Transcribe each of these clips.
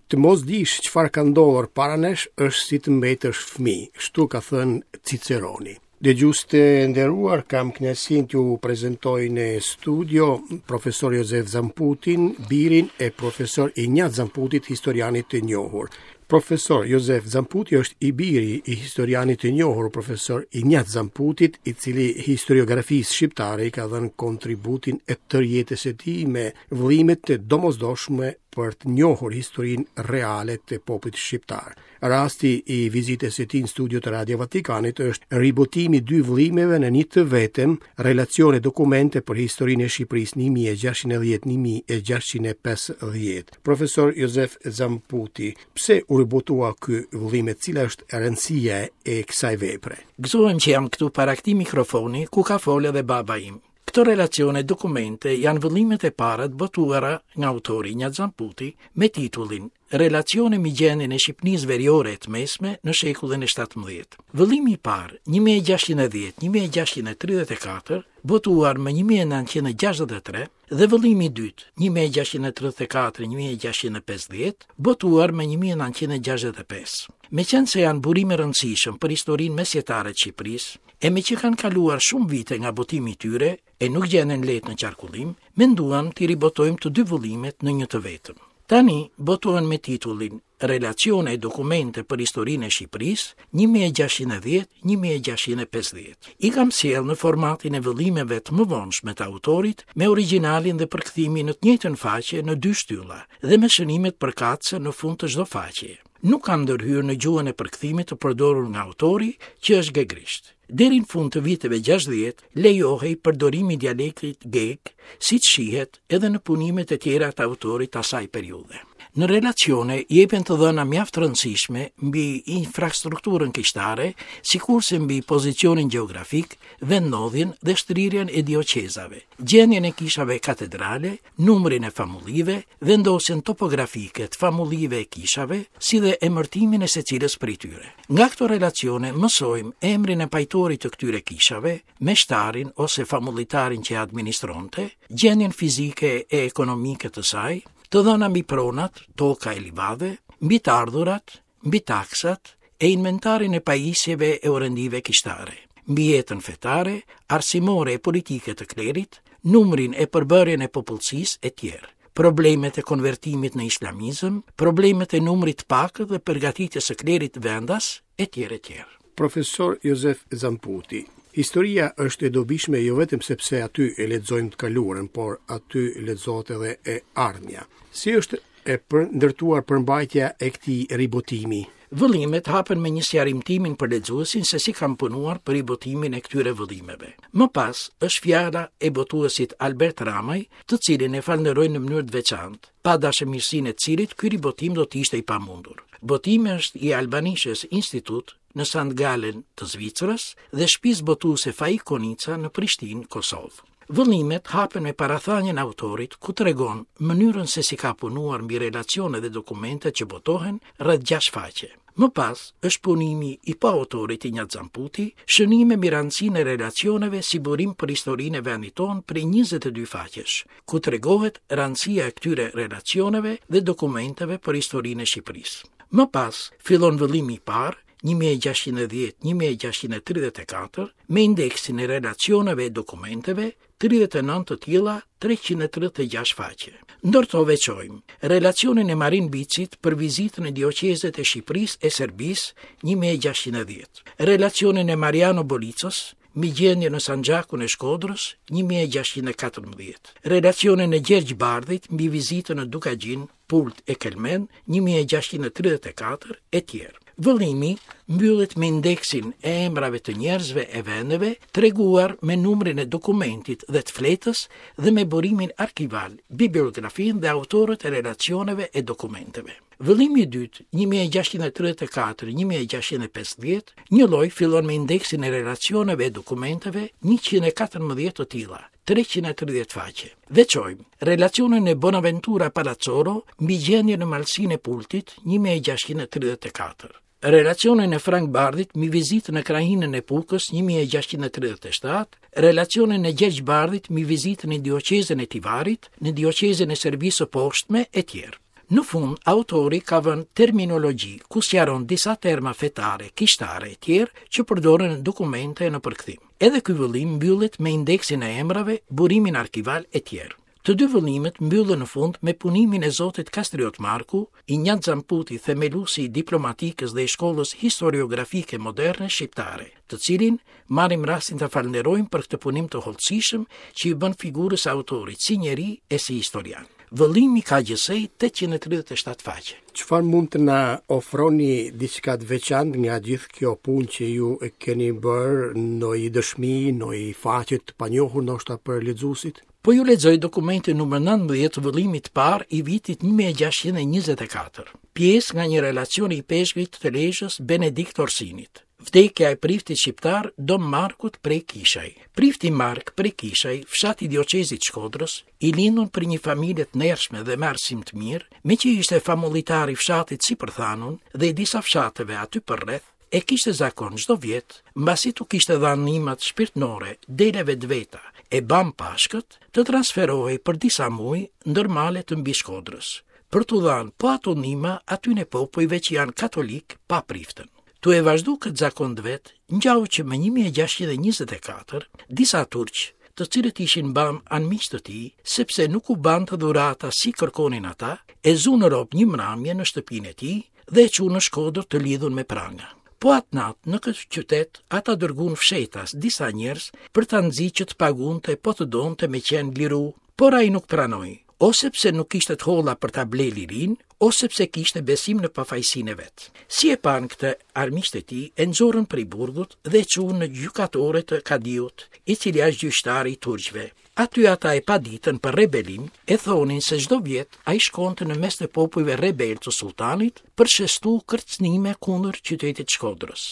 Të mos dish çfarë ka ndodhur para nesh është si të mbetesh fëmijë, kështu ka thënë Ciceroni. Dëgjues të nderuar, kam kënaqësinë t'ju prezantoj në studio profesor Jozef Zamputin, birin e profesor Injac Zamputit, historianit të njohur. Profesor Jozef Zamputi është i biri i historianit të njohur profesor Injac Zamputit, i cili historiografisë shqiptare i ka dhënë kontributin e tërë jetës së tij me vëllime të domosdoshme për të njohur historinë reale të popullit shqiptar. Rasti i vizitës së tij në studio të Radio Vatikanit është ribotimi i dy vëllimeve në një të vetëm, relacione dokumente për historinë e Shqipërisë 1610-1650. Profesor Jozef Zamputi, pse u ribotua ky vëllim e cila është rëndësia e kësaj vepre? Gëzohem që jam këtu para këtij mikrofoni ku ka folë edhe baba im. Këto relacione dokumente janë vëllimet e para të botuara nga autori Injac Zamputi me titullin Relacione mbi gjendjen e Shqipnisë Veriore e të Mesme në shekullin e 17. Vëllimi i parë, 1610-1634, botuar më 1963, dhe vëllimi i dytë, 1634-1650, botuar më 1965. Meqenëse janë burime rëndësishëm për historinë mesjetare të Shqipërisë, E meqë kanë kaluar shumë vite nga botimi i tyre e nuk gjenden lehtë në qarkullim, menduam t'i ribotojmë të dy vëllimet në një të vetëm. Tani botohen me titullin Relacione e dokumente për historinë e Shqipërisë, 1610-1650. I kam sjellë në formatin e vëllimeve të mëvonshme të autorit, me origjinalin dhe përkthimin në të njëjtën faqe në dy shtylla dhe me shënimet përkatëse në fund të çdo faqeje. Nuk kam ndërhyrë në gjuhën e përkthimit të përdorur nga autori, që është gegërisht. Deri në fund të viteve 60 lejohej përdorimi i dialektit geg, siç shihet edhe në punimet e tjera të autorit të asaj periudhe. Në relacione jepen të dhëna mjaft të rëndësishme mbi infrastrukturën kishtare, sikurse mbi pozicionin gjeografik, vendndodhjen dhe shtrirjen e dioqezave, gjendjen e kishave katedrale, numrin e famullive, vendosjen topografike të famullive e kishave, si dhe emërtimin e secilës prej tyre. Nga këto relacione mësojmë emrin e pajtorit të këtyre kishave, meshtarin ose famullitarin që e administronte, gjendjen fizike e ekonomike të saj, të dhëna mbi pronat, toka e livadhe, mbi të ardhurat, mbi taksat e inventarin e pajisjeve e orendive kishtare, mbi jetën fetare, arsimore e politike të klerit, numrin e përbërjen e popullsisë e tjerë, problemet e konvertimit në islamizëm, problemet e numrit të pakët dhe përgatitjes së klerit vendas e tjerë e tjerë. Profesor Jozef Zamputi, Historia është e dobishme jo vetëm sepse aty e lexojmë të kaluarën, por aty lexohet edhe e ardhmja. Si është e ndërtuar përmbajtja e këtij ribotimi? Vëllimet hapen me një sqarim timin për lexuesin se si kam punuar për ribotimin e këtyre vëllimeve. Më pas është fjala e botuesit Albert Ramaj, të cilin e falënderoj në mënyrë të veçantë, pa dashamirësinë e të cilit ky ribotim do të ishte i pamundur. Botimi është i Albanisches Institut në Sankt Gallen të Zvicrës dhe shtëpisë botuese Faik Konica në Prishtinë, Kosovë. Vëllimet hapen me parathanien e autorit, ku tregon mënyrën se si ka punuar mbi relacione dhe dokumente që botohen rreth 6 faqe. Më pas është punimi i po autorit Injac Zamputi, shënime mbi rëndësinë e relacioneve si burim për historinë e vendit tonë prej 22 faqesh, ku tregohet rëndësia e këtyre relacioneve dhe dokumenteve për historinë e Shqipërisë. Më pas fillon vëllimi i parë, 1610-1634, me indeksin e relacioneve e dokumenteve, 39 të tilla, 336 faqe. Ndër to veçojmë relacionin e Marin Bicit për vizitën në dioqezet e Shqipërisë e Serbisë 1610, relacionin e Mariano Bolicës mbi gjendjen në Sanxhakun e Shkodrës 1614, relacionin e Gjergj Bardhit mbi vizitën në Dukagjin, Pult e Kelmend 1634 e tjerë. Vëllimi mbyllet me indeksin e emrave të njerëzve e vendeve, treguar me numrin e dokumentit dhe të fletës dhe me burimin arkival, bibliografinë dhe autorët e relacioneve e dokumenteve. Vëllimi i dytë, 1634-1650, njëlloj fillon me indeksin e relacioneve e dokumenteve, 114 të tilla, 330 faqe. Veçojmë relacionin e Bonaventura Palazzolo mbi gjendjen në Malësinë e Pultit, 1634. Relacionin e Frank Bardhit mbi vizitën në krahinën e Pukës, 1637, relacionin e Gjergj Bardhit mbi vizitën në dioqezën e Tivarit, në dioqezën e Serbisë së Poshtme e tjerë. Në fund, autori ka vënë terminologji, ku sqaron disa terma fetare, kishtare e tjerë që përdoren në dokumente e në përkthim. Edhe ky vëllim mbyllet me indeksin e emrave, burimin arkival e tjerë. Të dy vëllimet mbyllen në fund me punimin e zotit Kastriot Marku, Injac Zamputi, themeluesi i diplomatikës dhe i shkollës historiografike moderne shqiptare, të cilin marrim rastin ta falënderojmë për këtë punim të hollësishëm që i bën figurës së autorit si njeri e si historian. Vëllimi ka gjithsej 837 faqe. Çfarë mund të na ofroni diçka të veçantë nga gjithë kjo punë që ju e keni bërë, ndonjë dëshmi, ndonjë faqe të panjohur ndoshta për lexuesit? Po ju lexoj dokumentin numër 19 të vëllimit të parë i vitit 1624, pjesë nga një relacion i ipeshkvit të Lezhës Benedikt Orsinit. Vdekja e priftit shqiptar Dom Markut prej Kishaj. Prifti Mark prej Kishaj, fshat i dioqezit Shkodrës, i lindun prej një familje të ndershme dhe me arsim të mirë, meqë ishte famullitar i fshatit sipërthanun dhe i disa fshateve aty përreth, e kishte zakon çdo vjet, mbasi t'u kishte dhanë nimat shpirtnore deleve të veta e bam Pashkët, të transferohej për disa muj ndër male të Mbishkodrës, për t'u dhanë po ato nima atyne popujve që janë katolikë pa priftën. Tu e vazhdu këtë zakon të vet, ngjau që më 1624, disa turq, të cilët ishin bam anmiq të tij, sepse nuk u bante dhurata si kërkonin ata, e zunë rob një mramje në shtëpinë e tij dhe e çunë në Shkodër të lidhun me pranga. Po atë natë, në këtë qytet, ata dërguan fshehtas disa njerëz për ta nxit që të pagunte po të donte me qenë liru, por ai nuk pranoi, ose pse nuk kishte të holla për ta ble lirinë, ose pse kishte besim në pafajësinë e vet. Si e panë këtë armiqtë e tij, e nxorën prej burgut dhe e çuan në gjykatore të kadiut, i cili është gjyqtari i turqve. Aty ata e paditën për rebelim, e thonin se çdo vjet ai shkonte në mes të popujve rebelë të sulltanit për shestu kërcënime kundër qytetit Shkodrës.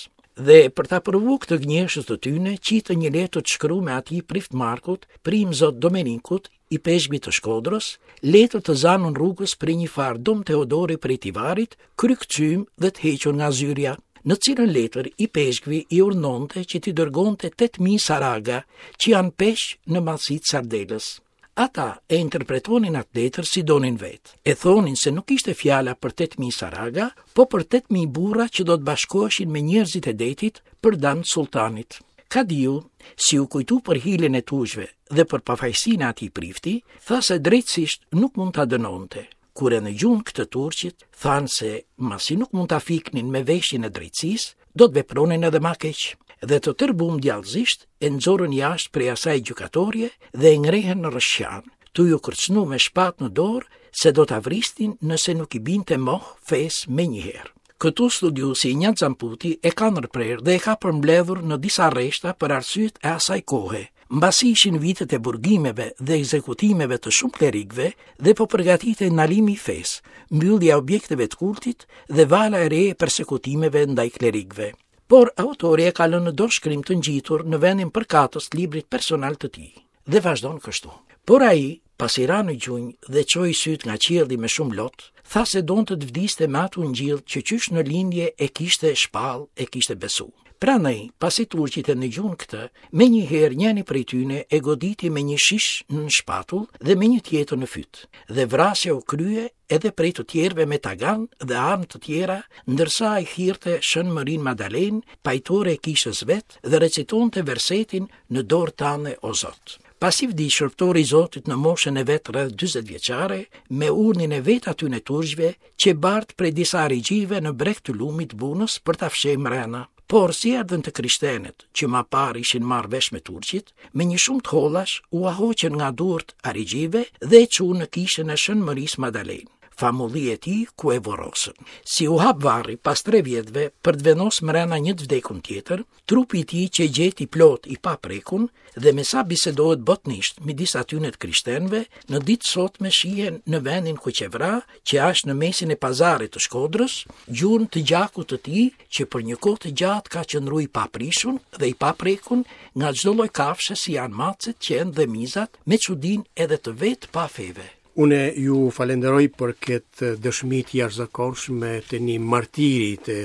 Dhe për ta provu këtë gënjeshtër të tyne, qitën një letër të shkrume atij prift Markut, prej imzot Domenikut, ipeshkvit të Shkodrës, letër të zanun rrugës prej një farë Dom Teodori prej Tivarit, krykëcym dhe të hequr nga zyrja, në cilën letër ipeshkvi i urdhnonte që t'i dërgonte 8.000 saraga, që janë peshq në madhësi të sardelës. Ata e interpretonin atë letër si donin vetë. E thonin se nuk ishte fjala për 8.000 saraga, po për 8.000 burra që do të bashkoheshin me njerëzit e detit për dam të sulltanit. Kadiu, si u kujtu për hilen e turqve dhe për pafajësinë e atij prifti, tha se drejtësisht nuk mund ta dënonte. Kur e nëgjun këtë turqit, thanë se masi nuk mund ta fiknin me veshin e drejtësisë, do të vepronin edhe ma keq. Dhe të tërbum djallëzisht e nxorën jashtë prej asaj gjykatorje dhe e ngrehën në rrëshqan, tu ju kërcënu me shpatë në dorë se do ta vrisnin nëse nuk i binte moh fesë menjëherë. Këtu studiuesi Injac Zamputi e ka ndërprerë dhe e ka përmbledhur në disa rreshta për arsyet e asaj kohe, mbasi ishin vitet e burgimeve dhe ekzekutimeve të shumë klerikëve dhe po përgatitej ndalimi i fesë, mbyllja e objekteve të kultit dhe vala e re e persekutimeve ndaj klerikëve. Por autori e ka lënë në dorëshkrim të ngjitur në vendin përkatës të librit personal të tij dhe vazhdon kështu. Por ai, pasi ra në gjunjë dhe çoi sytë nga qielli me shumë lot, tha se donte të vdiste me atë ungjill që qysh në lindje e kishte shpall, e kishte besu. Prandaj, pasi turqit e nëgjun këtë, menjëherë njëni prej tyne e goditi me një shish në shpatull dhe me një tjetër në fyt, dhe vrasja u krye edhe prej të tjerëve me tagan dhe armë të tjera, ndërsa ai thirrte Shën Mërinë Madalenë, pajtore e kishës vet, dhe recitonte versetin në dorë tande o Zot. Pasi vdiq shërbëtori i Zotit në moshën e vet rreth 40 vjeçare, me urdhnin e vetë atyne turqve, qe bart prej disa arixhive në breg të lumit Bunës për ta fsheh mrena. Por si erdhën të krishtenët, që ma parë ishin marrë vesh me turqit, me një shumë të hollash ua hoqën nga duart arixhive dhe e çunë në kishën e Shën Mërisë Madalenë, famulli e tij ku e vorrosën. Si u hap varri pas tre vjetëve për të vendosë mrena një të vdekun tjetër, Trupi i tij qe gjetë i plotë i paprekun dhe me sa bisedohet botnisht midis atyne të krishtenëve, në ditë sotme shihen në vendin ku qe vra, që asht në mesin e pazarit të Shkodrës, gjurmë të gjakut të tij që për një kohë të gjatë ka qëndru i paprishun dhe i paprekun nga çdo lloj kafshe si janë macet, qentë dhe mizat, me çudinë edhe të vetë pafeve. Unë ju falenderoj për këtë dëshmi të jashtëzakonshme të një martiri të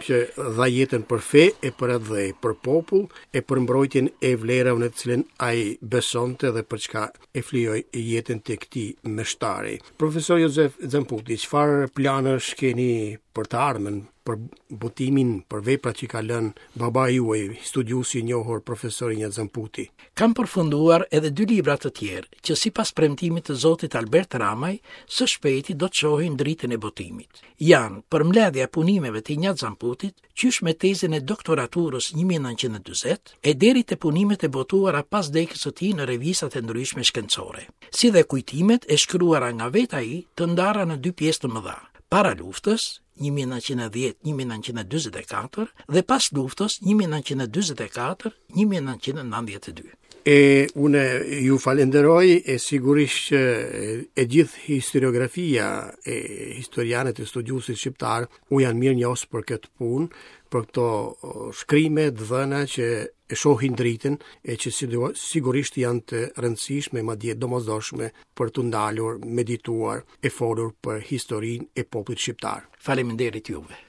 që dha jetën për fe e për atdhe, për popull e për mbrojtjen e vlerave në të cilën ai besonte dhe për çka e flijoi jetën të këtij meshtari. Profesor Jozef Zamputi, çfarë planesh keni për të ardhmen, për botimin, për veprat që ka lënë babai juaj, studiuesi i njohur profesor Injac Zamputi? Kam përfunduar edhe dy libra të tjerë, që sipas premtimit të zotit Albert Ramaj, së shpejti do të shohin dritën e botimit. Janë përmbledhja e punimeve të Injac Zamputit, qysh me tezën e doktoraturës 1940 e deri te punimet e botuara pas vdekjes së tij në revistat e ndryshme shkencore, si dhe kujtimet e shkruara nga vetë ai të ndara në dy pjesë të mëdha, para luftës 1910-1944 dhe pas luftës 1944-1992. E unë ju falenderoj e sigurisht që e gjithë historiografia e historianët e studiuesit shqiptarë u janë mirënjohës për këtë punë, për këto shkrime të dhëna që e shohin dritën e që sigurisht janë të rëndësishme, madje domosdoshme për t'u ndalur, medituar e folur për historinë e popullit shqiptar. Faleminderit juve.